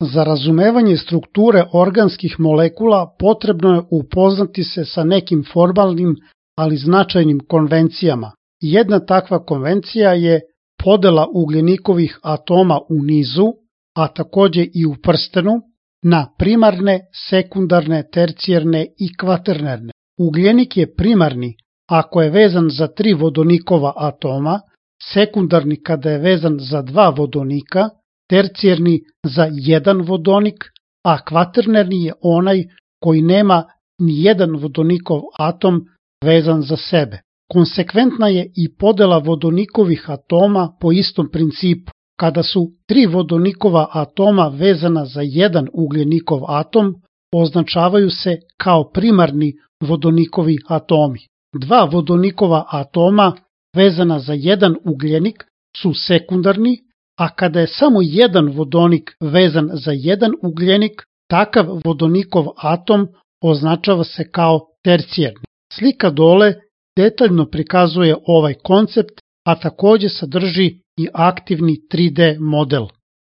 Za razumevanje strukture organskih molekula potrebno je upoznati se sa nekim formalnim, ali značajnim konvencijama. Jedna takva konvencija je podela ugljenikovih atoma u nizu, a takođe i u prstenu, na primarne, sekundarne, tercijarne i kvaternerne. Ugljenik je primarni ako je vezan za 3 vodonikova atoma, sekundarni kada je vezan za 2 vodonika, tercijarni za 1 vodonik, a kvaternerni je onaj koji nema ni jedan vodonikov atom vezan za sebe. Konsekventna je i podela vodonikovih atoma po istom principu. Kada su 3 vodonikova atoma vezana za 1 ugljenikov atom, označavaju se kao primarni vodonikovi atomi. 2 vodonikova atoma vezana za 1 ugljenik su sekundarni, a kada je samo 1 vodonik vezan za 1 ugljenik, takav vodonikov atom označava se kao tercijarni. Slika dole detaljno prikazuje ovaj koncept, a takođe sadrži i aktivni 3D model.